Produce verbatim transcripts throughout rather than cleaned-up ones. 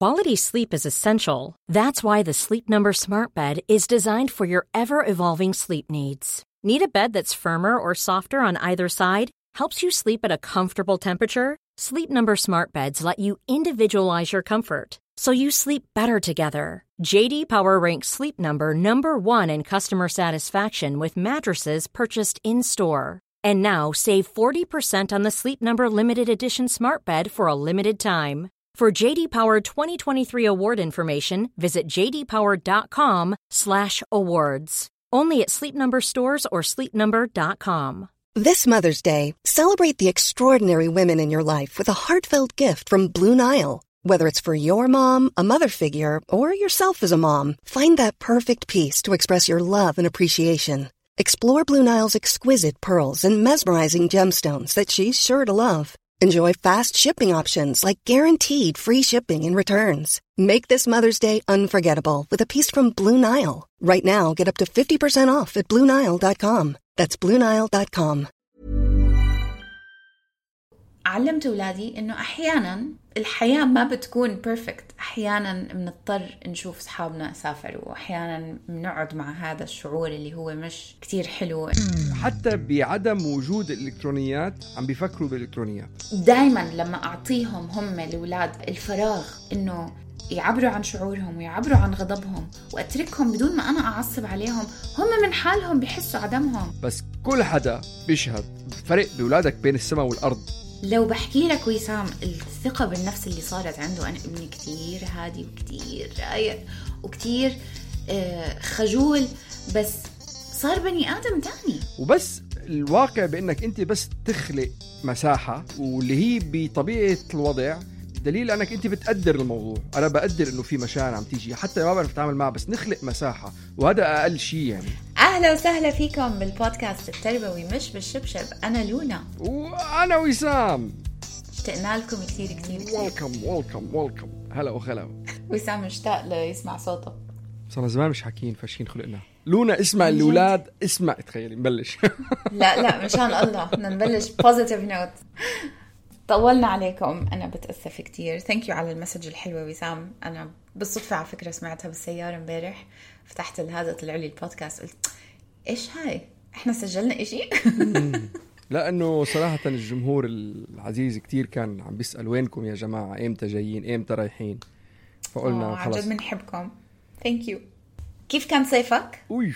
Quality sleep is essential. That's why the Sleep Number Smart Bed is designed for your ever-evolving sleep needs. Need a bed that's firmer or softer on either side? Helps you sleep at a comfortable temperature? Sleep Number Smart Beds let you individualize your comfort, so you sleep better together. J D Power ranks Sleep Number number one in customer satisfaction with mattresses purchased in-store. And now save forty percent on the Sleep Number Limited Edition Smart Bed for a limited time. For J D Power twenty twenty-three award information, visit j d power dot com slash awards. Only at Sleep Number stores or sleep number dot com. This Mother's Day, celebrate the extraordinary women in your life with a heartfelt gift from Blue Nile. Whether it's for your mom, a mother figure, or yourself as a mom, find that perfect piece to express your love and appreciation. Explore Blue Nile's exquisite pearls and mesmerizing gemstones that she's sure to love. Enjoy fast shipping options like guaranteed free shipping and returns. Make this Mother's Day unforgettable with a piece from Blue Nile. Right now, get up to fifty percent off at blue nile dot com. That's blue nile dot com. علمت أولادي إنه أحياناً الحياة ما بتكون بيرفكت. أحياناً بنضطر نشوف أصحابنا سافروا، وأحياناً بنقعد مع هذا الشعور اللي هو مش كتير حلو. حتى بعدم وجود الإلكترونيات عم بيفكروا بالإلكترونيات. دايماً لما أعطيهم هم الأولاد الفراغ إنه يعبروا عن شعورهم ويعبروا عن غضبهم وأتركهم بدون ما أنا أعصب عليهم، هم من حالهم بيحسوا عدمهم. بس كل حدا بيشهد فرق بأولادك بين السماء والأرض. لو بحكي لك وسام الثقة بالنفس اللي صارت عنده، أنا ابني كتير هادي وكتير رايق وكتير آه خجول، بس صار بني آدم تاني. وبس الواقع بأنك أنت بس تخلق مساحة، واللي هي بطبيعة الوضع دليل أنك أنت بتقدر الموضوع. أنا بقدر إنه في مشاعر عم تيجي حتى ما بعرف أتعامل معها، بس نخلق مساحة، وهذا أقل شيء يعني. أهلا وسهلا فيكم بالبودكاست التربوي مش بالشبشب. أنا لونا وأنا وسام، اشتقنا لكم كتير كتير كتير. ويلكم ويلكم ويلكم. هلا وخلا. وسام مشتاق ليسمع صوته، صار زمان مش حاكين فاشين خلقنا. لونا اسمع الأولاد، اسمع تخيلي نبلش. لا لا مشان الله بدنا نبلش بوزيتيف نوت. طولنا عليكم، أنا بتأسف كتير. ثانك يو على المسج الحلوة وسام. أنا بالصدفة على فكرة سمعتها بالسيارة امبارح، فتحت هذا طلع لي البودكاست قلت إيش هاي، إحنا سجلنا إشي؟ لأنه صراحة الجمهور العزيز كتير كان عم بيسأل وينكم يا جماعة، إمتى جايين، إمتى رايحين، فقلنا خلاص عجب بنحبكم. ثانك يو. كيف كان صيفك؟ أوي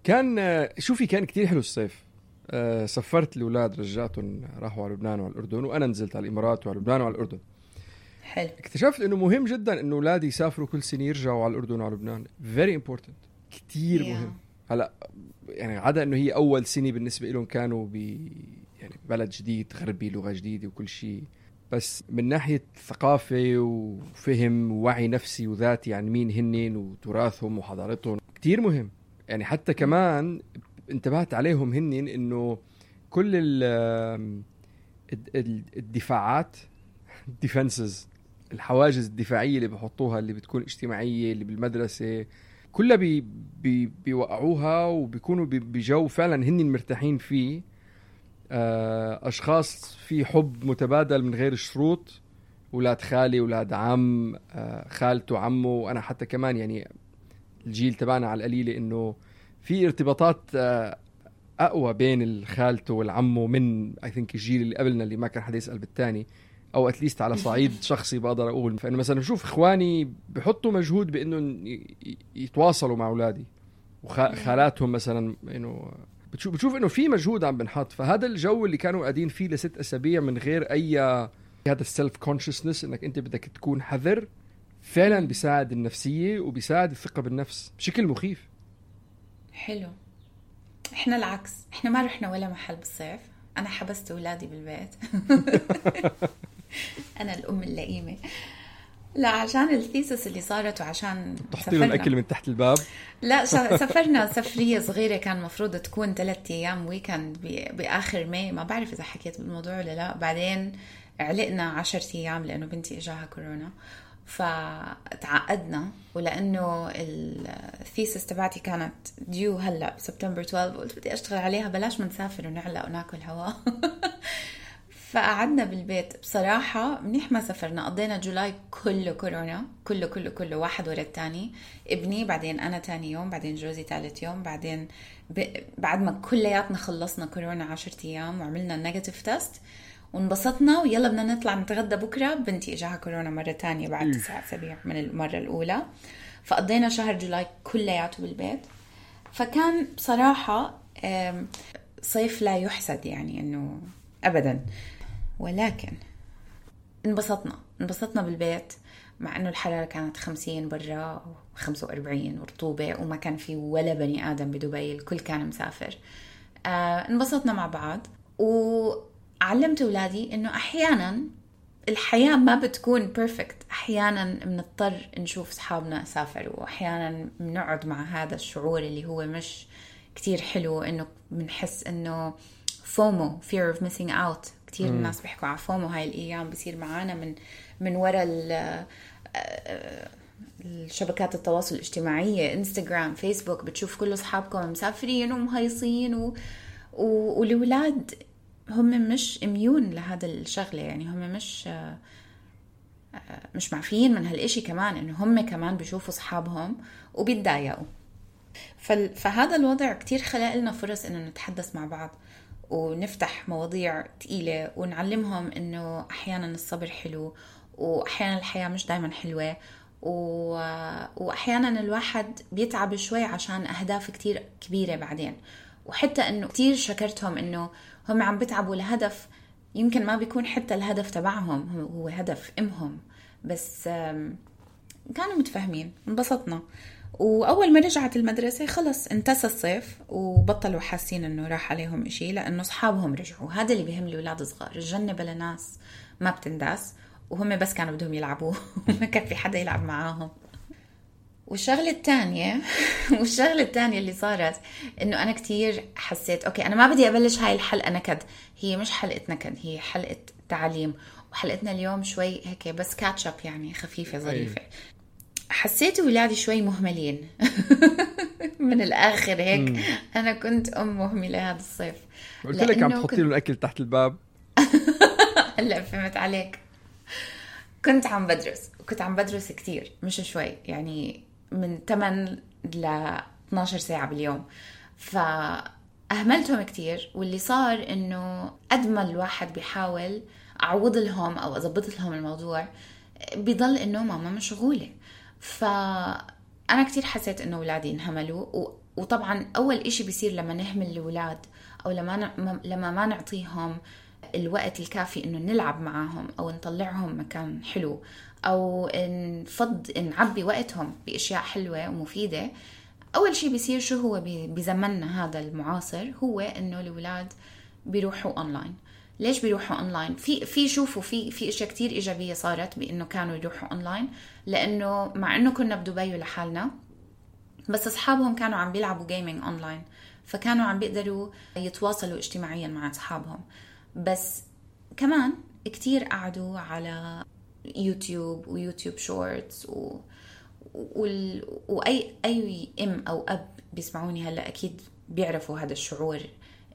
كان شوفي كان كتير حلو الصيف. أه سفرت الأولاد، رجعتهم راحوا على لبنان وعلى الأردن، وأنا نزلت على الإمارات وعلى لبنان وعلى الأردن. حلو. اكتشفت إنه مهم جدا إنه أولادي يسافروا كل سنة يرجعوا على الأردن وعلى لبنان. very important، كتير yeah. مهم. هلا يعني عدا إنه هي أول سنة بالنسبة لهم كانوا ب يعني بلد جديد غربي، لغة جديدة وكل شيء، بس من ناحية ثقافة وفهم ووعي نفسي وذاتي عن مين هنن وتراثهم وحضارتهم كتير مهم. يعني حتى كمان انتبهت عليهم هنن إنه كل الدفاعات defenses، الحواجز الدفاعية اللي بحطوها اللي بتكون اجتماعية اللي بالمدرسة كلها بي بي بيوقعوها وبيكونوا بجو فعلا هنن مرتاحين فيه. أشخاص في حب متبادل من غير شروط، ولاد خالي ولاد عم، خالته عمه. وأنا حتى كمان يعني الجيل تبعنا على القليلة إنه في ارتباطات أقوى بين الخالته والعمه من I think الجيل اللي قبلنا اللي ما كان حدا يسأل بالتاني، أو أتليست على صعيد شخصي بقدر أقول. فإنه مثلا بشوف إخواني بحطوا مجهود بإنه يتواصلوا مع أولادي، وخالاتهم مثلا إنه بتشوف بتشوف إنه في مجهود عم بنحط. فهذا الجو اللي كانوا قاعدين فيه لست أسابيع من غير أي هذا السلف كونشسنس إنك أنت بدك تكون حذر، فعلا بيساعد النفسية وبيساعد الثقة بالنفس بشكل مخيف. حلو. إحنا العكس، إحنا ما رحنا ولا محل بالصيف. أنا حبست أولادي بالبيت. أنا الأم اللئيمة. لا عشان الثيسس اللي صارت وعشان تحطيهم الأكل من تحت الباب. لا سافرنا سفرية صغيرة كان مفروض تكون ثلاثة أيام ويكند بآخر ماي، ما بعرف إذا حكيت بالموضوع ولا لا. بعدين علقنا عشرة أيام لأنه بنتي إجاها كورونا، فتعقدنا. ولأنه الثيسس تبعتي كانت ديو هلأ بسبتمبر اثناشر، قلت بدي أشتغل عليها بلاش ما نسافر ونعلق وناكل هوا. فقعدنا بالبيت بصراحة، منيح ما سافرنا، قضينا جولاي كله كورونا، كله كله كله واحد ورا التاني. ابني، بعدين أنا تاني يوم، بعدين جوزي ثالث يوم، بعدين ب... بعد ما كلياتنا خلصنا كورونا عشرة أيام وعملنا النيجاتيف تيست وانبسطنا ويلا بدنا نطلع نتغدى بكرة، بنتي إجاها كورونا مرة تانية بعد تسعة أسابيع من المرة الأولى. فقضينا شهر جولاي كلياته بالبيت. فكان بصراحة صيف لا يحسد يعني إنه أبدا، ولكن انبسطنا انبسطنا بالبيت مع إنه الحرارة كانت خمسين برا وخمسة وأربعين ورطوبة وما كان في ولا بني آدم بدبي، الكل كان مسافر. آه انبسطنا مع بعض، وعلمت أولادي إنه أحيانا الحياة ما بتكون بيرفكت، أحيانا بنضطر نشوف صحابنا سافروا، وأحيانا بنقعد مع هذا الشعور اللي هو مش كتير حلو، إنه بنحس إنه فومو fear of missing out. كتير م. الناس بيحكوا على فومو هاي الأيام، بيصير معانا من من وراء الشبكات التواصل الاجتماعية، انستغرام، فيسبوك، بتشوف كل أصحابكم مسافرين ومهيصين و... و... والأولاد هم مش اميون لهذا الشغلة، يعني هم مش مش معفيين من هالإشي كمان، إنه هم كمان بيشوفوا أصحابهم وبيتضايقوا. فهذا الوضع كتير خلق لنا فرص إنه نتحدث مع بعض ونفتح مواضيع تقيلة ونعلمهم إنه أحيانا الصبر حلو، وأحيانا الحياة مش دايما حلوة، و... وأحيانا الواحد بيتعب شوي عشان أهداف كتير كبيرة بعدين. وحتى إنه كتير شكرتهم إنه هم عم بيتعبوا لهدف يمكن ما بيكون حتى الهدف تبعهم، هو هدف إمهم، بس كانوا متفاهمين. انبسطنا. وأول ما رجعت المدرسة خلص انتسى الصيف وبطلوا حاسين إنه راح عليهم إشي، لأنه أصحابهم رجعوا. هذا اللي بيهم الأولاد صغار، الجنة بلا ناس ما بتنداس، وهم بس كانوا بدهم يلعبوا وما كان في حدا يلعب معاهم. والشغلة الثانية والشغلة الثانية اللي صارت إنه أنا كتير حسيت أوكي أنا ما بدي أبلش هاي الحلقة نكد، هي مش حلقة نكد، هي حلقة تعليم. وحلقتنا اليوم شوي هيك بس كاتشب، يعني خفيفة ظريفة. حسيت ولادي شوي مهملين من الآخر هيك. مم. أنا كنت أم مهملة هذا الصيف. قلت لك عم تحطي له الأكل تحت الباب. هلا فهمت عليك. كنت عم بدرس وكنت عم بدرس كتير، مش شوي، يعني من ثمانية ل اثناشر ساعة باليوم. فأهملتهم كتير، واللي صار إنه قد ما الواحد بيحاول أعوض لهم أو أضبط لهم الموضوع، بيضل إنه ماما مشغولة. فأنا كتير حسيت إنه أولادي انهملوا. وطبعا أول إشي بيصير لما نهمل الأولاد أو لما ن... لما ما نعطيهم الوقت الكافي إنه نلعب معاهم أو نطلعهم مكان حلو أو نفض نعبي وقتهم بأشياء حلوة ومفيدة، أول شيء بيصير شو هو بزمننا هذا المعاصر، هو إنه الأولاد بيروحوا أونلاين. ليش بيروحوا أونلاين؟ في في شوفوا في في أشياء كتير إيجابية صارت بإنه كانوا يروحوا أونلاين، لأنه مع إنه كنا بدبي لحالنا بس أصحابهم كانوا عم بيلعبوا جيمينج أونلاين، فكانوا عم بيقدروا يتواصلوا اجتماعيا مع أصحابهم. بس كمان كتير قعدوا على يوتيوب ويوتيوب شورتس و... وال... وأي أي أم أو أب بيسمعوني هلأ أكيد بيعرفوا هذا الشعور،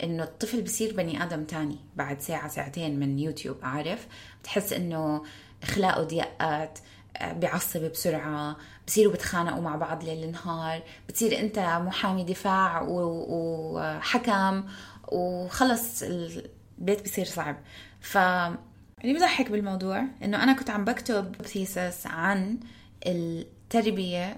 إنه الطفل بيصير بني آدم تاني بعد ساعة ساعتين من يوتيوب. عارف، بتحس إنه أخلاقه ضيقات، بيعصب بسرعة، بصيروا بتخانقوا مع بعض ليل نهار، بتصير أنت محامي دفاع وحكم وخلص البيت بيصير صعب. فاللي بضحك بالموضوع إنه أنا كنت عم بكتب ثيسس عن التربية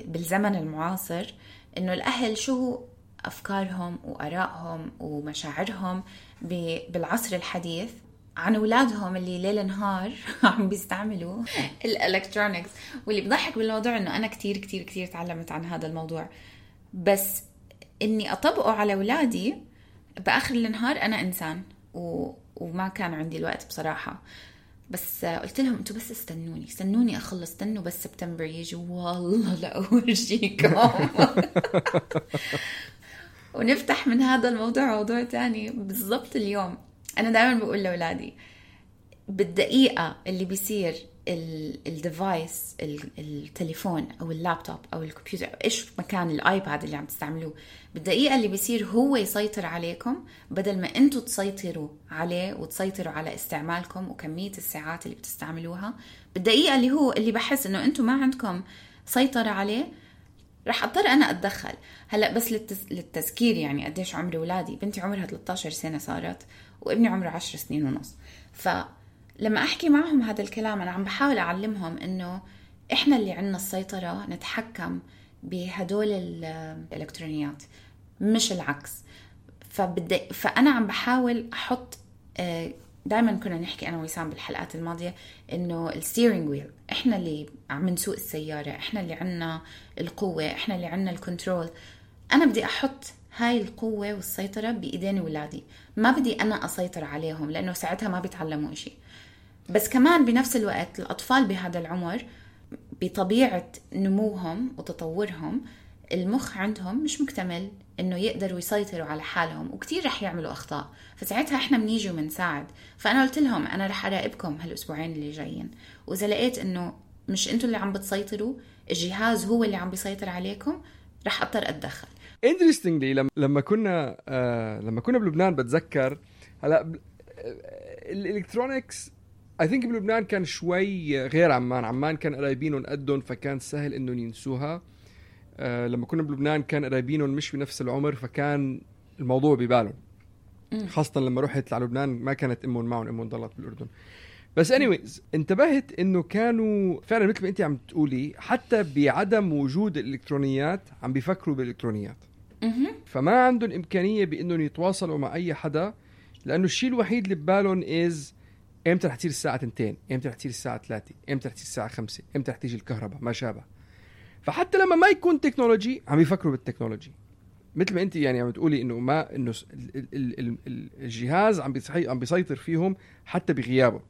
بالزمن المعاصر، إنه الأهل شو أفكارهم وآرائهم ومشاعرهم بالعصر الحديث عن أولادهم اللي ليل نهار عم بيستعملوا الإلكترونيكس. واللي بضحك بالموضوع إنه أنا كتير كتير كتير تعلمت عن هذا الموضوع، بس إني أطبقه على أولادي بآخر النهار أنا إنسان و... وما كان عندي الوقت بصراحة. بس قلت لهم أنتوا بس استنوني استنوني أخلص، استنوا بس سبتمبر يجي والله لا أورجيكم. ونفتح من هذا الموضوع موضوع تاني بالضبط. اليوم أنا دائما بقول لأولادي بالدقيقة اللي بيصير الديفايس التليفون او اللابتوب او الكمبيوتر ايش مكان الايباد اللي عم تستعملوه، بالدقيقه اللي بيصير هو يسيطر عليكم بدل ما انتوا تسيطروا عليه وتسيطروا على استعمالكم وكميه الساعات اللي بتستعملوها، بالدقيقه اللي هو اللي بحس انه انتوا ما عندكم سيطره عليه رح اضطر انا اتدخل. هلا بس للتز... للتذكير يعني قديش عمري ولادي، بنتي عمرها ثلاثة عشر سنه صارت وابني عمره عشر سنين ونص، فلما احكي معهم هذا الكلام انا عم بحاول اعلمهم انه احنا اللي عندنا السيطره نتحكم بهدول الالكترونيات مش العكس. فبدي فانا عم بحاول احط، دائما كنا نحكي انا وسام بالحلقات الماضيه انه الستيرنج ويل احنا اللي عم نسوق السياره، احنا اللي عنا القوه، احنا اللي عنا الكنترول. انا بدي احط هاي القوه والسيطره بايدين ولادي، ما بدي انا اسيطر عليهم لانه ساعتها ما بيتعلموا إشي. بس كمان بنفس الوقت الاطفال بهذا العمر بطبيعه نموهم وتطورهم المخ عندهم مش مكتمل انه يقدروا يسيطروا على حالهم وكتير رح يعملوا اخطاء، فساعتها احنا بنيجي ومنساعد. فانا قلت لهم انا رح اراقبكم هالاسبوعين اللي جايين، واذا لقيت انه مش انتوا اللي عم بتسيطروا، الجهاز هو اللي عم بيسيطر عليكم، رح اضطر اتدخل. interestingly لما كنا آه لما كنا بلبنان بتذكر هلا الالكترونيكس I think بلبنان كان شوي غير عمان. عمان كان قرايبينهم قدهم فكان سهل انه ينسوها. آه لما كنا بلبنان كان قرايبينهم مش بنفس العمر فكان الموضوع ببالهم، خاصة لما رحت على لبنان ما كانت امهم معهم، امهم ضلت بالاردن. بس anyways انتبهت انه كانوا فعلا مثل ما انت عم تقولي حتى بعدم وجود الالكترونيات عم بيفكروا بالالكترونيات، فما عندهم امكانية بانهم يتواصلوا مع اي حدا، لانه الشيء الوحيد اللي ببالهم از امتى رح تصير الساعة تنتين، امتى رح تصير الساعة ثلاثة، امتى رح تصير الساعة خمسة، امتى رح تيجي الكهرباء، ما شابه. فحتى لما ما يكون تكنولوجي عم يفكروا بالتكنولوجي، مثل ما انت يعني عم تقولي انه ما انه الجهاز عم بيصحي عم بيسيطر فيهم حتى بغيابه.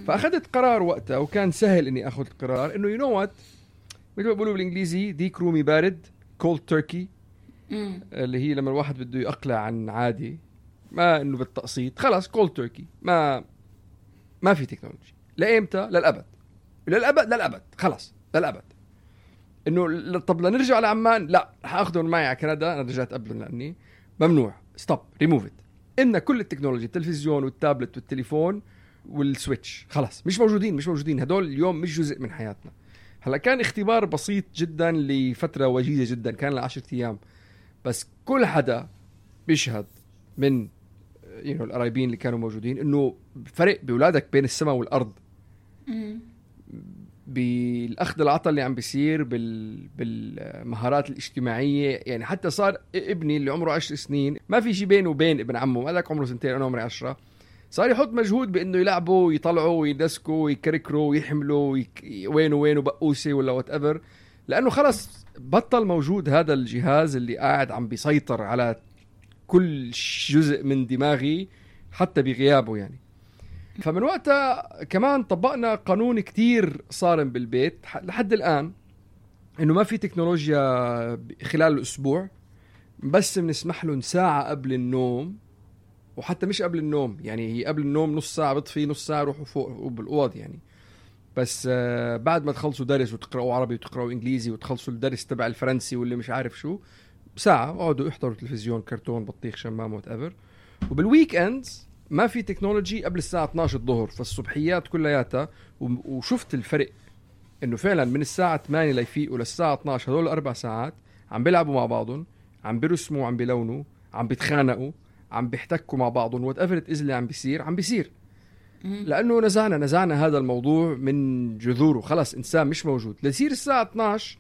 فاخذت قرار وقتها وكان سهل اني اخذ القرار انه يو نو وات، مثل ما بيقولوا بالانجليزي ديك رومي بارد، كولد تركي، اللي هي لما الواحد بده يقلع عن عادي، ما انه بالتقسيط، خلاص كولد تركي، ما ما في تكنولوجي لايمتى؟ للابد للابد للابد خلاص للابد. انه طب لنرجع على عمان، لا رح اخذهم معي على كندا، انا رجعت قبل لاني ممنوع، ستوب ريموف ات. ان كل التكنولوجيا، التلفزيون والتابلت والتليفون والسويتش خلاص مش موجودين، مش موجودين هدول اليوم، مش جزء من حياتنا. هلا كان اختبار بسيط جدا لفتره وجيزه جدا، كان لعشرة ايام، بس كل حدا بيشهد من يعني القرايبين اللي كانوا موجودين انه فرق بولادك بين السماء والارض، بالاخذ العطاء اللي عم بيصير بال... بالمهارات الاجتماعيه. يعني حتى صار ابني اللي عمره عشر سنين ما في شيء بينه وبين ابن عمه، قالك عمره سنتين انا عمري عشرة، صار يحط مجهود بانه يلعبوا ويطلعوا ويدسكوا ويكركروا ويحملوا ويك... وين وين بقوسه ولا وات ايفر، لانه خلص بطل موجود هذا الجهاز اللي قاعد عم بيسيطر على كل جزء من دماغي حتى بغيابه يعني. فمن وقتها كمان طبقنا قانون كتير صارم بالبيت لحد الآن، إنه ما في تكنولوجيا خلال الأسبوع، بس بنسمح لهم ساعة قبل النوم، وحتى مش قبل النوم يعني هي قبل النوم نص ساعة بطفي، نص ساعة روحوا فوق بالأوض يعني. بس بعد ما تخلصوا درس وتقرأوا عربي وتقرأوا إنجليزي وتخلصوا الدرس تبع الفرنسي واللي مش عارف شو، ساعة اقعدوا احضروا تلفزيون، كرتون، بطيخ، شمام، وات ايفر. وبالويك اندز ما في تكنولوجي قبل الساعة اثناشر الظهر، فالصبحيات كلياتها. وشفت الفرق انه فعلا من الساعة ثمانية ليفيقوا للساعة اثناشر هذول الاربع ساعات عم بيلعبوا مع بعضهم، عم بيرسموا، عم بيلونوا، عم بيتخانقوا، عم بيحتكوا مع بعضهم، وات ايفر إز اللي عم بيصير عم بيصير، لانه نزعنا نزعنا هذا الموضوع من جذوره. خلاص انسان مش موجود ليصير الساعة اثناشر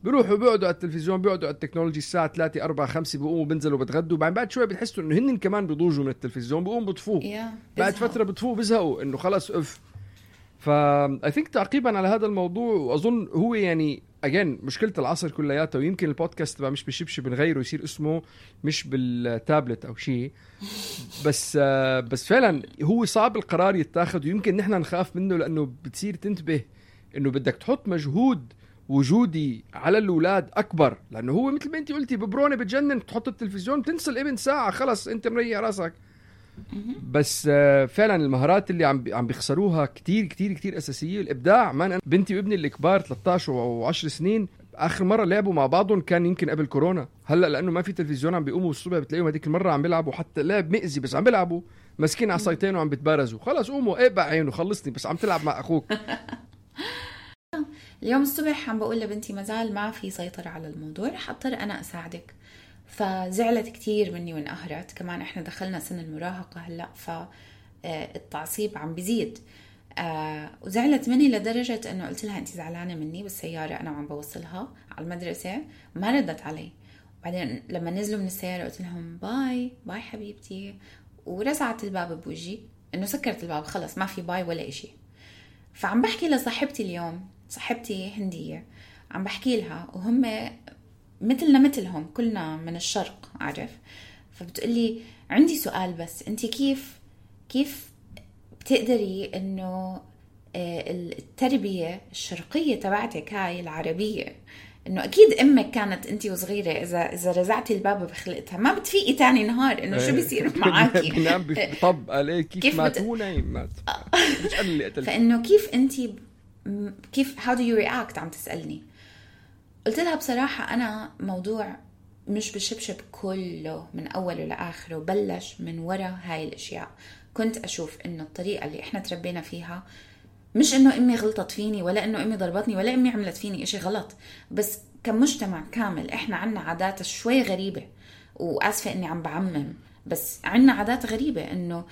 بيروحوا بيقعدوا على التلفزيون، بيقعدوا على التكنولوجي الساعة ثلاثة أربعة خمسة، بيقوموا بينزلوا بتغدوا، بعد بعد شوي بتحسوا إنه هن كمان بيضوجوا من التلفزيون، بيقوموا بطفوه yeah, بعد فترة بطفوه بيزهقوا إنه خلاص أف. فا I think تعقيبا على هذا الموضوع، وأظن هو يعني again مشكلة العصر كلياتها، ويمكن البودكاست تبع مش بشبش بنغيره يصير اسمه مش بالتابلت أو شيء، بس بس فعلا هو صعب القرار يتاخد، ويمكن نحن نخاف منه لأنه بتصير تنتبه إنه بدك تحط مجهود وجودي على الأولاد أكبر، لأنه هو مثل ما أنت قلتي ببرونة بتجنن، تحط التلفزيون تنسى الابن ساعة خلص أنت مريح راسك. بس فعلا المهارات اللي عم عم بيخسروها كتير كتير كتير اساسيه. الابداع. ما بنتي وابني الكبار ثلاثة عشر وعشر سنين اخر مره لعبوا مع بعضهم كان يمكن قبل كورونا. هلا لانه ما في تلفزيون عم بيقوموا الصبح بتلاقيهم هذيك المره عم بيلعبوا حتى لعب مئزي بس عم بيلعبوا ماسكين عصايتين وعم بيتبارزوا. خلص قوموا ايه بقى عينه خلصني بس عم تلعب مع اخوك. اليوم الصبح عم بقول لبنتي مازال ما في سيطرة على الموضوع رح اضطر انا اساعدك. فزعلت كتير مني وانقهرت. كمان احنا دخلنا سن المراهقة هلا فالتعصيب عم بيزيد. آه وزعلت مني لدرجة انه قلت لها انت زعلانة مني بالسيارة انا وعم بوصلها على المدرسة. ما ردت علي. بعدين لما نزلوا من السيارة قلت لهم باي باي حبيبتي ورزعت الباب بوجهي انه سكرت الباب خلص ما في باي ولا اشي. فعم بحكي لصاحبتي اليوم صاحبتي هندية عم بحكي لها وهم مثلنا مثلهم كلنا من الشرق عارف. فبتقولي عندي سؤال بس انتي كيف كيف بتقدري انه التربية الشرقية تبعتك هاي العربية انه اكيد امك كانت انتي وصغيرة اذا اذا رزعتي الباب بخلقتها ما بتفيقي تاني نهار انه شو بيصير معاكي. بنام بطب عليه كيف مات هو نايم مات. فانه كيف انتي كيف how do you react عم تسألني. قلت لها بصراحة أنا موضوع مش بالشبشب كله من أوله لآخره بلش من وراء هاي الأشياء. كنت أشوف إنه الطريقة اللي إحنا تربينا فيها مش إنه أمي غلطت فيني ولا إنه أمي ضربتني ولا أمي عملت فيني إشي غلط بس كمجتمع كامل إحنا عنا عادات شوي غريبة. وأسفة إني عم بعمم بس عنا عادات غريبة إنه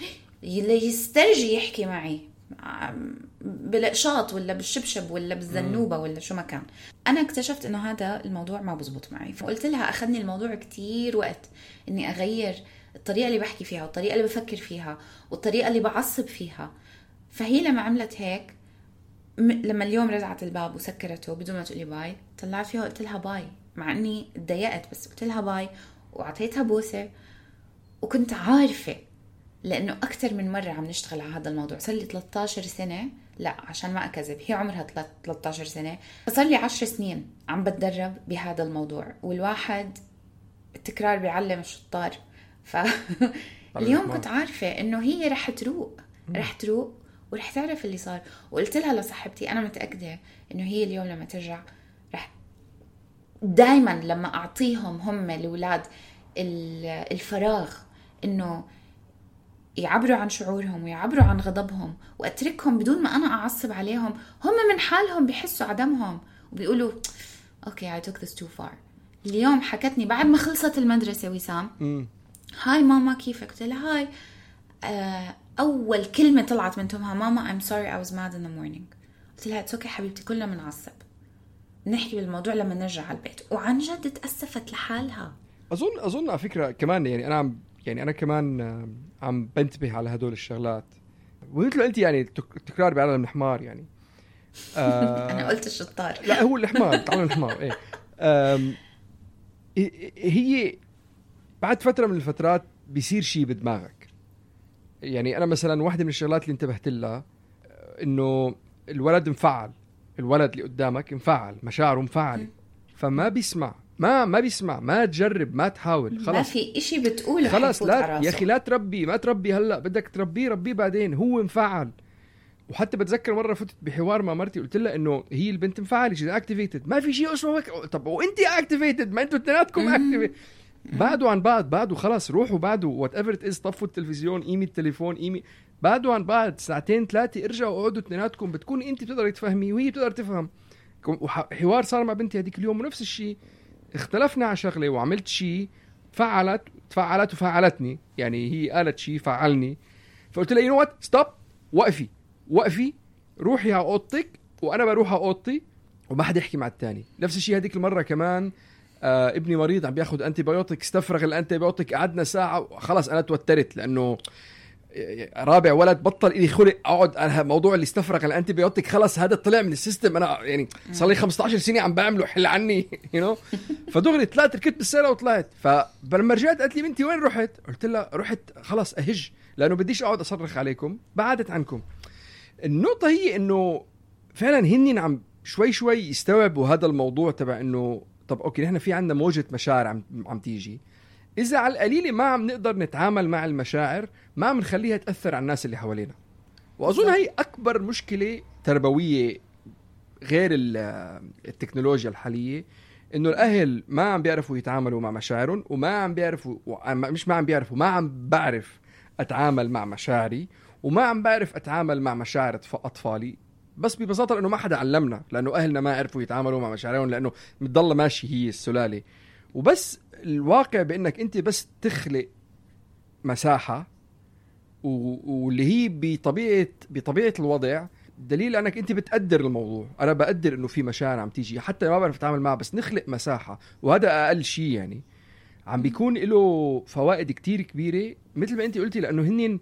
اللي يسترجي يحكي معي بالقشاط ولا بالشبشب ولا بالزنوبة ولا شو ما كان. أنا اكتشفت إنه هذا الموضوع ما بزبط معي. فقلت لها أخذني الموضوع كتير وقت إني أغير الطريقة اللي بحكي فيها والطريقة اللي بفكر فيها والطريقة اللي بعصب فيها. فهي لما عملت هيك لما اليوم رجعت الباب وسكرته بدون ما تقولي باي طلعت فيها وقلت لها باي مع إني اتضايقت بس قلت لها باي وعطيتها بوسة. وكنت عارفة لأنه أكثر من مرة عم نشتغل على هذا الموضوع. صار لي ثلاثة عشر سنة لا عشان ما أكذب هي عمرها ثلاثة عشر سنة. صار لي عشر سنين عم بتدرب بهذا الموضوع والواحد التكرار بيعلم الشطار. فاليوم كنت عارفة إنه هي رح تروق رح تروق ورح تعرف اللي صار. وقلت لها لصاحبتي أنا متأكدة إنه هي اليوم لما ترجع رح دايما لما أعطيهم هم الأولاد الفراغ إنه يعبروا عن شعورهم ويعبروا عن غضبهم وأتركهم بدون ما أنا أعصب عليهم هم من حالهم بيحسوا عدمهم وبيقولوا أوكي I took this too far. اليوم حكتني بعد ما خلصت المدرسة وسام هاي ماما كيفك؟ قلت لها هاي آه أول كلمة طلعت من تمها ماما I'm sorry I was mad in the morning. قلت لها it's okay حبيبتي كلنا منعصب نحكي بالموضوع لما نرجع على البيت. وعن جد تأسفت لحالها. أظن أظن على فكرة كمان يعني أنا عم يعني أنا كمان عم بنتبه على هدول الشغلات. وقلت له أنت يعني التكرار بيعلم الحمار يعني. أنا قلت الشطار. لا هو الحمار تعلم الحمار. إيه. هي بعد فترة من الفترات بيصير شيء بدماغك. يعني أنا مثلا واحدة من الشغلات اللي انتبهت لها إنه الولد مفعل. الولد اللي قدامك مفعل مشاعره مفعلة فما بيسمع ما ما بيسمع ما تجرب ما تحاول خلاص ما في إشي بتقوله خلاص لا يا أخي لا تربي ما تربي هلأ بدك تربيه ربيه بعدين هو مفعل. وحتى بتذكر مرة فتت بحوار مع مرتي قلت لها إنه هي البنت مفعلة شيء اكتيفيتد ما في شيء اسمه طب وانتي اكتيفيتد ما انتوا اثنيناتكم اكتيفيتد بعدوا عن بعض بعدوا خلاص روحوا بعدوا وات ايفر ات از طفوا التلفزيون قيمي التليفون قيمي بعدوا عن بعض ساعتين ثلاثة ارجعوا اقعدوا اثنيناتكم بتكون انت بتقدر تفهمي وهي بتقدر تفهم. وحوار صار مع بنتي هذيك اليوم ونفس الشيء اختلفنا على شغله وعملت شيء فعلت تفعلت وفعلتني يعني هي قالت شيء فعلني. فقلت لها يو نو وات ستوب وقفي وقفي روحي على اوضتك وانا بروح على اوضتي وما حدا يحكي مع الثاني. نفس الشيء هذيك المره كمان آه ابني مريض عم بياخد انتي بايوتيك استفرغ الانتي بايوتيك قعدنا ساعه خلاص انا توترت لانه رابع ولد بطل إلي خلق اقعد على موضوع اللي استفرغ الانتي بايوتيك خلاص هذا طلع من السيستم انا يعني صار لي خمسة عشر سنه عم بعمله حل عني يو نو فدغري طلعت ركبت بالسياره وطلعت. فلما رجعت قالت لي بنتي وين رحت؟ قلت لها رحت خلاص اهج لانه بديش اقعد اصرخ عليكم بعدت عنكم. النقطه هي انه فعلا هني عم شوي شوي يستوعبوا هذا الموضوع تبع انه طب اوكي نحن في عندنا موجة مشاعر عم عم تيجي اذا على القليله ما عم نقدر نتعامل مع المشاعر ما عم نخليها تاثر على الناس اللي حوالينا. واظن هي اكبر مشكله تربويه غير التكنولوجيا الحاليه، انه الاهل ما عم بيعرفوا يتعاملوا مع مشاعرهم، وما عم بيعرفوا مش ما عم بيعرفوا ما عم بعرف اتعامل مع مشاعري، وما عم بعرف اتعامل مع مشاعر اطفالي. بس ببساطه لانه ما حدا علمنا، لانه اهلنا ما عرفوا يتعاملوا مع مشاعرهم، لانه متضل ماشي هي السلاله. وبس الواقع بانك انت بس تخلق مساحه واللي هي بطبيعه بطبيعه الوضع، دليل انك انت بتقدر الموضوع. انا بقدر انه في مشاعر عم تيجي حتى ما بعرف اتعامل معها، بس نخلق مساحه، وهذا اقل شيء يعني عم بيكون له فوائد كتير كبيره. مثل ما انت قلتي، لانه هنين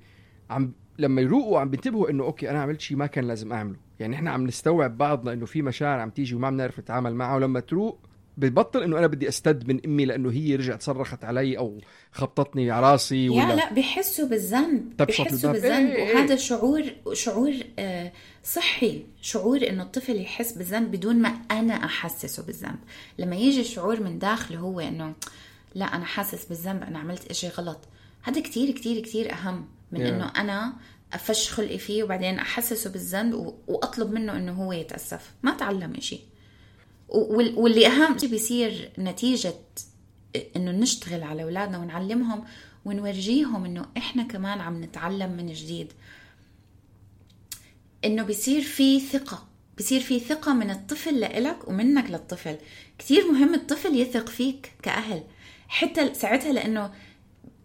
عم لما يروقوا عم بينتبهوا انه اوكي انا عملت شيء ما كان لازم اعمله. يعني احنا عم نستوعب بعضنا انه في مشاعر عم تيجي وما عم نعرف نتعامل معها، ولما تروق ببطل انه انا بدي استد من امي لانه هي رجعت صرخت علي او خبطتني على راسي ولا يا لا بيحسوا بالذنب بيحسوا بالذنب إيه إيه. وهذا شعور شعور آه صحي، شعور انه الطفل يحس بالذنب بدون ما انا احسسه بالذنب. لما يجي الشعور من داخله هو انه لا انا حاسس بالذنب، انا عملت اشي غلط، هذا كتير كتير كتير اهم من yeah. انه انا افش خلقي فيه وبعدين احسسه بالذنب واطلب منه انه هو يتاسف. ما تعلم اشي. واللي أهم شيء بيصير نتيجة إنه نشتغل على أولادنا ونعلمهم ونورجيهم إنه إحنا كمان عم نتعلم من جديد، إنه بيصير في ثقة، بيصير في ثقة من الطفل لإلك ومنك للطفل. كتير مهم الطفل يثق فيك كأهل حتى ساعتها، لأنه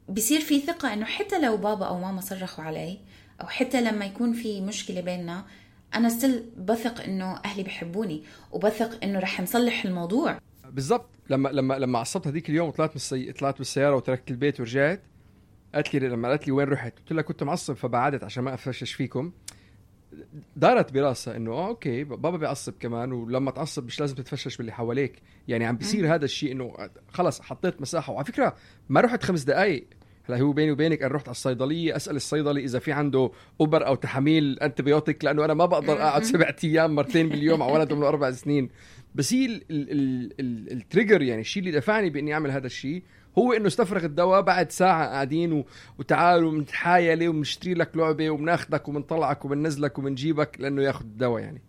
بيصير في ثقة إنه حتى لو بابا أو ماما صرخوا علي، أو حتى لما يكون في مشكلة بيننا، أنا ستيل بثق إنه أهلي بيحبوني، وبثق إنه رح نصلح الموضوع. بالضبط. لما لما لما عصبت هذيك اليوم وطلعت من السي... طلعت بالسيارة وتركت البيت ورجعت، قالت لي لما قالت لي وين رحت، قلت لها كنت معصب فبعدت عشان ما أفشش فيكم. دارت براسها إنه آه أوكي بابا بيعصب كمان، ولما تعصب مش لازم تتفشش باللي حواليك. يعني عم بيصير هذا الشيء إنه خلص حطيت مساحة. وعلى فكرة ما رحت خمس دقايق. هلا هو بيني وبينك أنا رحت على الصيدلية أسأل الصيدلي إذا في عنده أوبر أو تحميل أنتبيوتيك، لأنه أنا ما بقدر أقعد سبعة أيام مرتين باليوم على ولد عمره أربع سنين. بس هي التريجر، يعني الشيء اللي دفعني بإني أعمل هذا الشيء هو إنه استفرغ الدواء. بعد ساعة قاعدين و... وتعالوا منتحايلة ومنشتري لك لعبة ومناخدك ومنطلعك ومننزلك ومنجيبك لأنه ياخد الدواء يعني.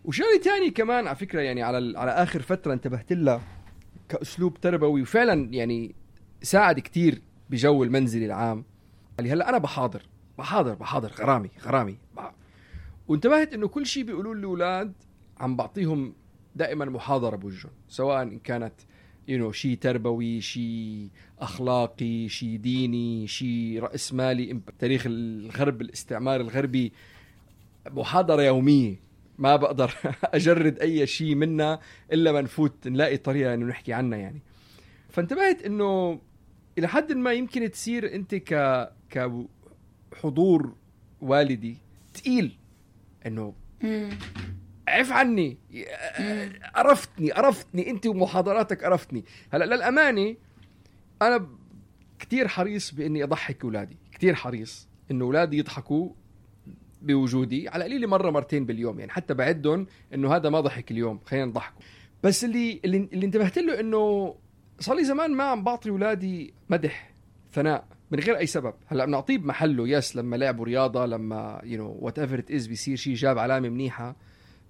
وشيء تاني كمان على فكرة، يعني على على آخر فترة انتبهت لها كأسلوب تربوي وفعلا يعني ساعد كتير بجو المنزل العام. اللي هلا انا بحاضر بحاضر بحاضر غرامي غرامي بح... وانتبهت انه كل شيء بيقولوا لي الاولاد عم بعطيهم دائما محاضره بوجههم، سواء ان كانت يو you know, شيء تربوي، شيء اخلاقي، شيء ديني، شيء راس مالي، تاريخ الغرب، الاستعمار الغربي. محاضره يوميه ما بقدر اجرد اي شيء منها الا ما نفوت نلاقي طريقه انه نحكي عنها يعني. فانتبهت انه إلى حد ما يمكن تصير أنت ك كحضور والدي تقيل، إنه عف عني، عرفتني عرفتني أنت ومحاضراتك عرفتني. هلا للأمانة أنا كتير حريص بإني أضحك أولادي، كتير حريص إنه أولادي يضحكوا بوجودي على قليل مرة مرتين باليوم، يعني حتى بعدهم إنه هذا ما ضحك اليوم خلينا نضحكوا. بس اللي اللي, اللي انتبهت له إنه صار لي زمان ما عم بعطي أولادي مدح ثناء من غير أي سبب. هلأ بنعطيه بمحله، يس لما لعبوا رياضة، لما you know whatever it is بيصير شيء جاب علامة منيحة.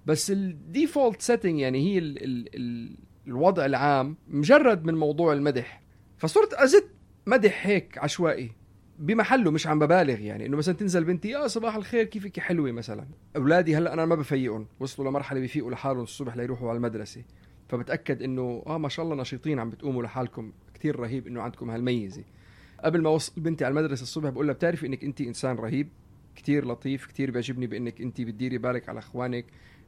بس الديفولت سيتنج يعني هي ال ال ال الوضع العام مجرد من موضوع المدح، فصرت أزد مدح هيك عشوائي بمحله، مش عم ببالغ. يعني إنه مثلا تنزل بنتي يا صباح الخير كيفك حلوة مثلا. أولادي هلأ أنا ما بفيقهم، وصلوا لمرحلة بيفيقوا لحالهم الصبح ليروحوا على المدرسة، فبتأكد إنه آه ما شاء الله نشيطين عم بتقوموا لحالكم، كتير رهيب إنه عندكم هالميزة. قبل ما وصل بنتي على المدرسة الصبح بقول لها بتعرفي إنك أنت إنسان رهيب، كتير لطيف، كتير بيعجبني بإنك أنت بتديري بالك على إخوانك،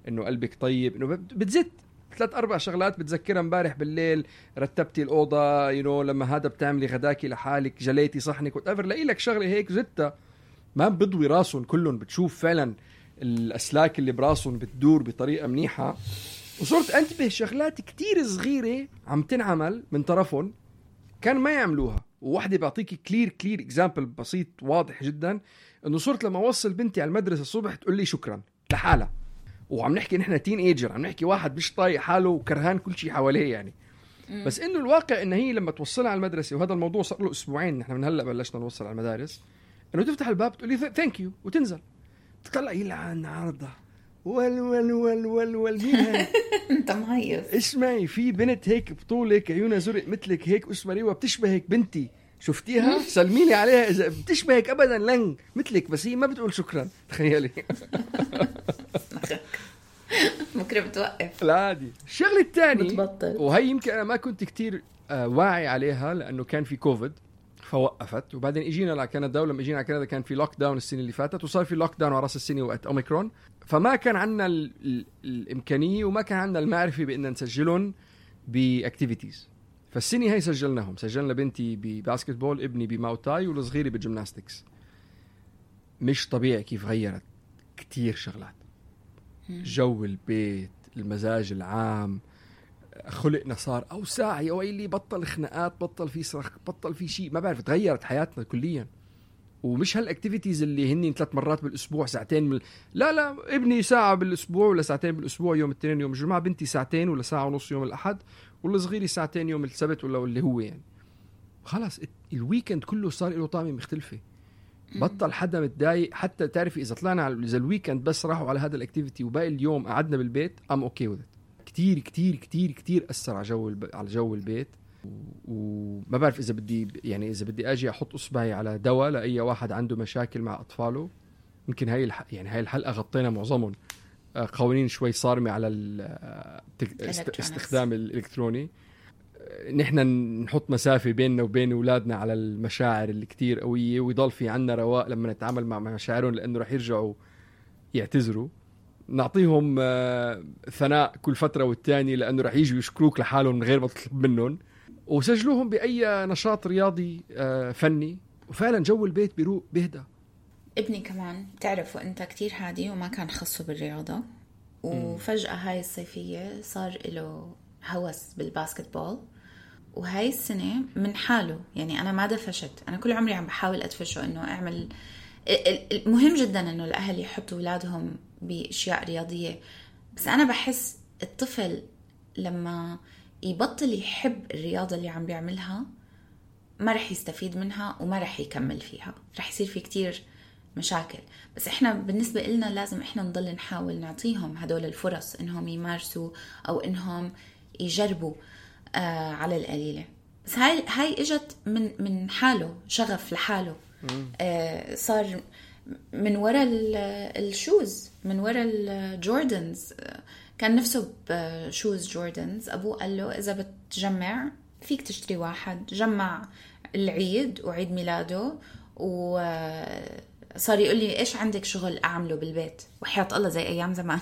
إنه قلبك طيب، إنه بتزت ثلاث أربع شغلات بتذكرها. امبارح بالليل رتبتي الأوضة، يو you know, لما هذا بتعملي غداكي لحالك، جليتي صحنك وتقفر، لاقي لك شغلة هيك زتها ما بضوي راسهم كلهم، بتشوف فعلا الأسلاك اللي براسهم بتدور بطريقة منيحة. وصرت أنتبه شغلات كتير صغيرة عم تنعمل من طرفهم كان ما يعملوها. وواحدة بعطيكي كلير كلير إكزامبل بسيط واضح جدا، إنه صرت لما أوصل بنتي على المدرسة الصبح تقول لي شكرا لحالها. وعم نحكي نحن تين ايجر، عم نحكي واحد مش طايق حاله وكرهان كل شيء حواليه يعني. بس إنه الواقع إن هي لما توصلها على المدرسة، وهذا الموضوع صار له أسبوعين نحن من هلأ بلشنا نوصل على المدارس، إنه تفتح الباب تقولي ثانك يو وتنزل تطلع يلعن عارضة ول ول ول ول ول مين هاي؟ انت مهيص. اسمعي في بنت هيك بطولك عيونها زرق مثلك هيك اسمها ريوة بتشبهك بنتي، شفتيها؟ سلميلي عليها إذا بتشبهك أبدا لن مثلك، بس هي ما بتقول شكرا. تخيلي. ممكن بتوقف. لا عادي. الشغلة الثانية بتبطل. وهي يمكن أنا ما كنت كتير آه واعي عليها لأنه كان في كوفيد فوقفت، وبعدين اجينا لكندا، ولما اجينا على كندا كان في لوك داون السنه اللي فاتت، وصار في لوك داون على راس السنه وقت اوميكرون، فما كان عندنا ال ال الامكانيه وما كان عندنا المعرفه بان نسجلهم باكتيفيتيز. فالسنه هي سجلناهم، سجلنا بنتي بباسكتبول، ابني بماوتاي، والصغيري بالجيمناستكس. مش طبيعي كيف غيرت كتير شغلات، جو البيت، المزاج العام، خلقنا صار أوسع يا ويلي، بطل خناقات، بطل في صرخ، بطل في شيء، ما بعرف، تغيرت حياتنا كليا. ومش هالأكتيفيتيز اللي هني ثلاث مرات بالأسبوع ساعتين من... لا لا ابني ساعة بالأسبوع ولا ساعتين بالأسبوع يوم الاثنين يوم الجمعة، بنتي ساعتين ولا ساعة ونص يوم الأحد، والصغيري ساعتين يوم السبت ولا اللي هو يعني. خلاص الويكند كله صار له طعمة مختلفة، بطل حدا متضايق. حتى تعرفي إذا طلعنا على إذا الويكند بس راحوا على هذا الأكتيفيتي وباقي اليوم قعدنا بالبيت I'm okay with it. كتير كتير كتير كتير أثر على جو الب... على جو البيت. وما بعرف إذا بدي يعني إذا بدي أجي أحط إصبعي على دواء لأي واحد عنده مشاكل مع أطفاله، يمكن هاي الح... يعني هاي الحلقة غطينا معظمهم قوانين شوي صارمة على الاستخدام الإلكتروني. نحن نحط مسافة بيننا وبين أولادنا على المشاعر اللي كتير قوية، ويضل في عنا رواق لما نتعامل مع مشاعرهم، لأنه رح يرجعوا يعتذروا. نعطيهم ثناء كل فترة والتاني لأنه رح يجوا يشكروك لحالهم من غير ما تطلب منهم، وسجلوهم بأي نشاط رياضي فني، وفعلا جو البيت بيروق بيهدى. ابني كمان تعرف وانت كتير هادي وما كان خصه بالرياضة، وفجأة هاي الصيفية صار له هوس بالباسكتبول، وهاي السنة من حاله يعني أنا ما دفشت، أنا كل عمري عم بحاول أدفشه إنه أعمل. مهم جدا إنه الأهل يحطوا أولادهم بأشياء رياضية، بس أنا بحس الطفل لما يبطل يحب الرياضة اللي عم بيعملها ما رح يستفيد منها وما رح يكمل فيها، رح يصير في كتير مشاكل. بس إحنا بالنسبة إلنا لازم إحنا نضل نحاول نعطيهم هدول الفرص إنهم يمارسوا أو إنهم يجربوا آه على القليلة. بس هاي هاي إجت من من حاله، شغف لحاله. آه صار من وراء الشوز، من وراء الجوردنز، كان نفسه بشوز جوردنز. أبوه قال له إذا بتجمع فيك تشتري واحد. جمع العيد وعيد ميلاده، وصار يقول لي إيش عندك شغل أعمله بالبيت، وحياة الله زي أيام زمان.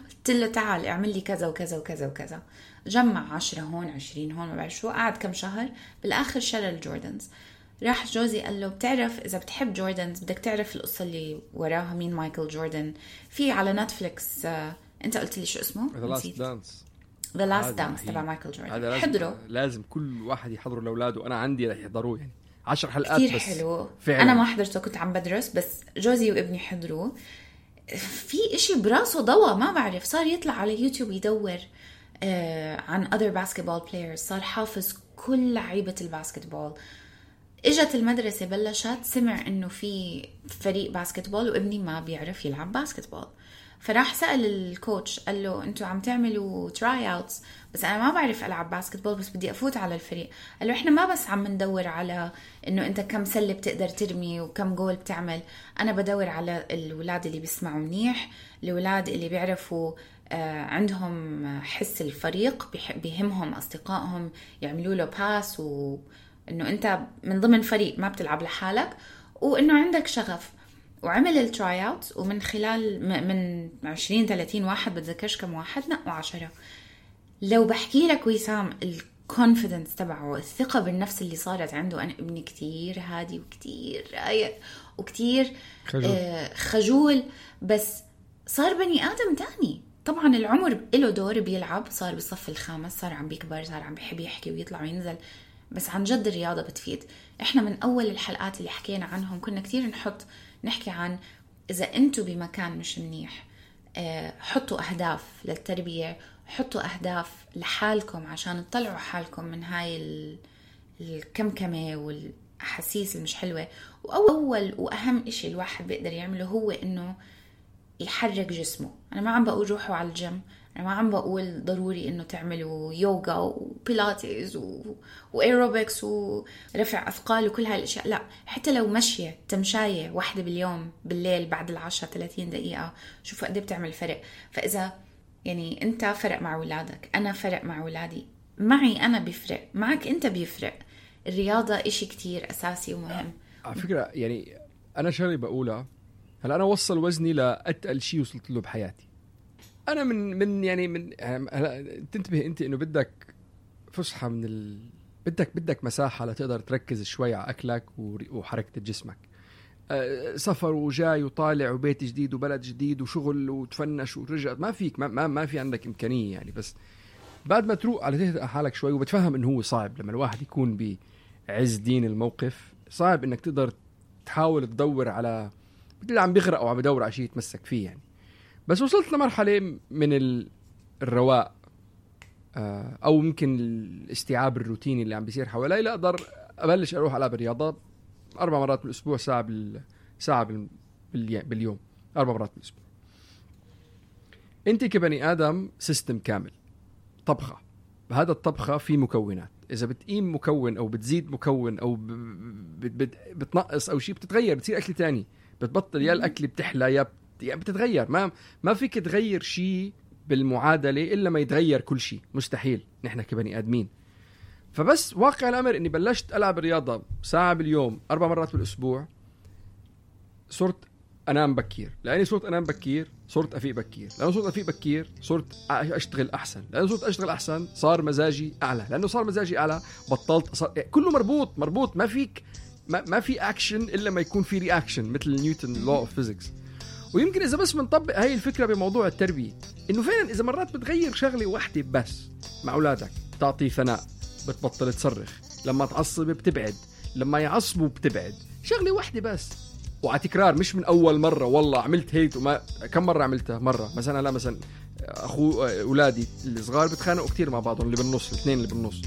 قلت له تعال اعمل لي كذا وكذا وكذا وكذا. جمع عشرة هون عشرين هون ما بعرف شو، قعد كم شهر، بالآخر شرى الجوردنز. راح جوزي قال له بتعرف إذا بتحب جوردنز بدك تعرف القصة اللي وراها، مين مايكل جوردن. في على نتفليكس آه، أنت قلت لي شو اسمه؟ The Last Dance. The Last Dance تبع مايكل جوردن. حضروا، لازم كل واحد يحضره لأولاده. أنا عندي رح يحضروه يعني عشر حلقات كتير بس. حلو فعلا. أنا ما حضرته كنت عم بدرس، بس جوزي وابني حضروه. في إشي براسه ضوى ما بعرف، صار يطلع على يوتيوب يدور آه عن other basketball players، صار حافظ كل لعيبة الباسكتبول. اجت المدرسة بلشت، سمع انه في فريق باسكتبول وابني ما بيعرف يلعب باسكتبول، فراح سأل الكوتش قال له انتوا عم تعملوا تراي اوتس بس انا ما بعرف العب باسكتبول بس بدي افوت على الفريق. قال له احنا ما بس عم ندور على انه انت كم سلة بتقدر ترمي وكم جول بتعمل، انا بدور على الولاد اللي بيسمعوا منيح، الولاد اللي بيعرفوا آه عندهم حس الفريق، بيهمهم اصدقائهم يعملوا له باس، و انه انت من ضمن فريق ما بتلعب لحالك، وانه عندك شغف. وعمل التراي اوت، ومن خلال من عشرين ثلاثين واحد بتذكرش كم واحد نقوا عشرة. لو بحكي لك وسام الكونفيدنس تبعه، الثقة بالنفس اللي صارت عنده. أنا ابني كتير هادي وكتير رايق وكتير خجول. آه خجول، بس صار بني آدم تاني. طبعا العمر له دور، بيلعب، صار بالصف الخامس، صار عم بيكبر، صار عم بيحب يحكي ويطلع وينزل، بس عن جد الرياضة بتفيد. احنا من أول الحلقات اللي حكينا عنهم كنا كتير نحط نحكي عن إذا أنتوا بمكان مش منيح، حطوا أهداف للتربية، حطوا أهداف لحالكم عشان تطلعوا حالكم من هاي الكمكمة والأحاسيس المش حلوة. وأول وأهم إشي الواحد بيقدر يعمله هو إنه يحرك جسمه. أنا ما عم بقول روحوا على الجيم، أنا ما عم بقول ضروري إنه تعملوا يوغا وبيلاتيز وإيروبكس ورفع أثقال وكل هاي الأشياء، لا، حتى لو مشية تمشاية واحدة باليوم بالليل بعد العشاء ثلاثين دقيقة، شوفوا قد بتعمل فرق. فإذا يعني أنت فرق مع أولادك، أنا فرق مع أولادي، معي أنا بيفرق، معك أنت بيفرق. الرياضة إشي كتير أساسي ومهم. على فكرة يعني أنا شغلي بقولها، هلا أنا وصل وزني لأتقل شيء وصلت له بحياتي. أنا من من يعني من هلا تنتبه أنت إنه بدك فسحة من ال... بدك بدك مساحة لتقدر تركز شوي على أكلك وحركة جسمك. أه سفر وجاي وطالع وبيت جديد وبلد جديد وشغل وتفنش ورجع، ما فيك ما ما, ما في عندك إمكانية يعني. بس بعد ما تروق على تهدأ حالك شوي، وبتفهم إنه هو صعب لما الواحد يكون بعز دين الموقف، صعب إنك تقدر تحاول تدور على اللي عم بيغرق أو عم بدور على شيء يتمسك فيه يعني. بس وصلت لمرحلة من الرواء أو ممكن الاستيعاب الروتيني اللي عم بيصير حوالي، لا أقدر أبلش أروح ألعب الرياضة أربع مرات بالأسبوع، ساعة بال... ساعة باليوم، أربع مرات بالأسبوع. أنت كبني آدم سيستم كامل، طبخة، هذا الطبخة فيه مكونات، إذا بتقيم مكون أو بتزيد مكون أو ب... بت... بت... بتنقص أو شيء بتتغير، بتصير أكل تاني، بتبطل يا الأكل بتحلى يا يعني بتتغير. ما ما فيك تغير شيء بالمعادلة إلا ما يتغير كل شيء، مستحيل نحن كبني آدمين. فبس واقع الأمر إني بلشت ألعب رياضة ساعة باليوم أربع مرات بالأسبوع، صرت أنام بكير. لأني صرت أنام بكير صرت أفيق بكير، لأنه صرت أفيق بكير صرت أشتغل أحسن، لأنه صرت أشتغل أحسن صار مزاجي أعلى، لأنه صار مزاجي أعلى بطلت صار... كله مربوط مربوط. ما فيك ما, ما في أكشن إلا ما يكون في رياكشن، مثل نيوتن لو أوف فيزيكس. ويمكن إذا بس بنطبق هاي الفكرة بموضوع التربية، إنه فعلا إذا مرات بتغير شغلة واحدة بس مع أولادك، تعطي ثناء بتبطل تصرخ، لما تعصب بتبعد، لما يعصبوا بتبعد، شغلة واحدة بس وعلى تكرار، مش من أول مرة والله عملت هيك وما كم مرة عملتها. مرة مثلا لا مثلا أخو أولادي الصغار بتخانقوا كتير مع بعضهم، اللي بالنص الاثنين اللي بالنص،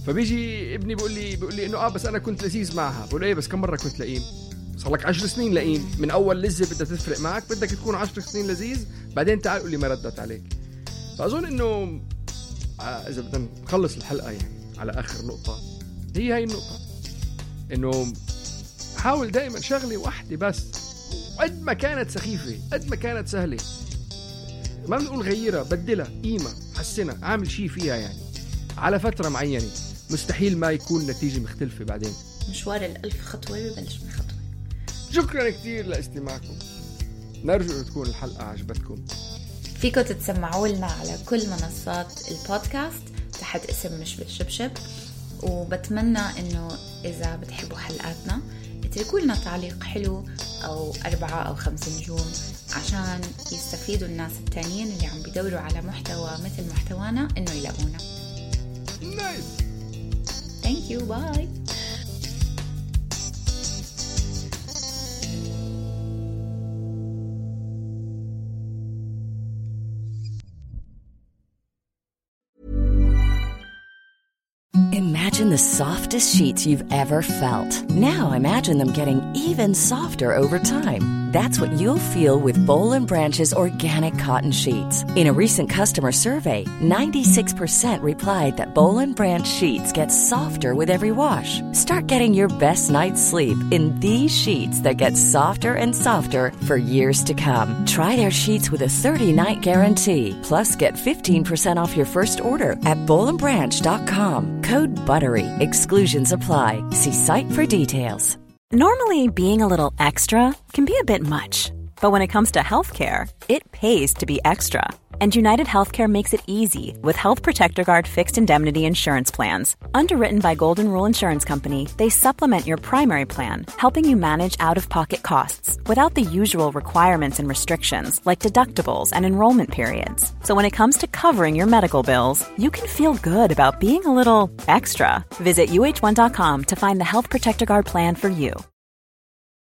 فبيجي ابني بيقول لي بيقول لي إنه آه بس أنا كنت لذيذ معها. بقول إيه بس كم مرة كنت لئيم؟ صار لك عشر سنين لئيم، من أول لذة بدها تفرق معك، بدك تكون عشر سنين لذيذ، بعدين تعال قول لي ما ردت عليك. فأظن إنه إذا بدنا نخلص الحلقة يعني على آخر نقطة، هي هاي النقطة، إنه حاول دائما شغلة واحدة بس، قد ما كانت سخيفة قد ما كانت سهلة، ما بنقول غيرها، بدلها، قيمة، حسنها، عامل شيء فيها يعني على فترة معينة، مستحيل ما يكون نتيجة مختلفة بعدين. مشوار الألف خطوة ببلش من خطوة. شكرا كتير لاستماعكم، نرجو تكون الحلقة عجبتكم. فيكم تتسمعوا لنا على كل منصات البودكاست تحت اسم مش بالشبشب، وبتمنى انه اذا بتحبوا حلقاتنا اتركوا لنا تعليق حلو او اربعة او خمس نجوم عشان يستفيدوا الناس التانيين اللي عم بيدوروا على محتوى مثل محتوانا انه يلاقونا. نايس. Thank you. Bye. Imagine the softest sheets you've ever felt. Now imagine them getting even softer over time. That's what you'll feel with Boll and Branch's organic cotton sheets. In a recent customer survey, ninety-six percent replied that Boll and Branch sheets get softer with every wash. Start getting your best night's sleep in these sheets that get softer and softer for years to come. Try their sheets with a thirty-night guarantee. Plus, get fifteen percent off your first order at boll and branch dot com. Code BUTTERY. Exclusions apply. See site for details. Normally, being a little extra can be a bit much. But when it comes to healthcare, it pays to be extra. And United Healthcare makes it easy with Health Protector Guard fixed indemnity insurance plans. Underwritten by Golden Rule Insurance Company, they supplement your primary plan, helping you manage out-of-pocket costs without the usual requirements and restrictions like deductibles and enrollment periods. So when it comes to covering your medical bills, you can feel good about being a little extra. Visit U H one dot com to find the Health Protector Guard plan for you.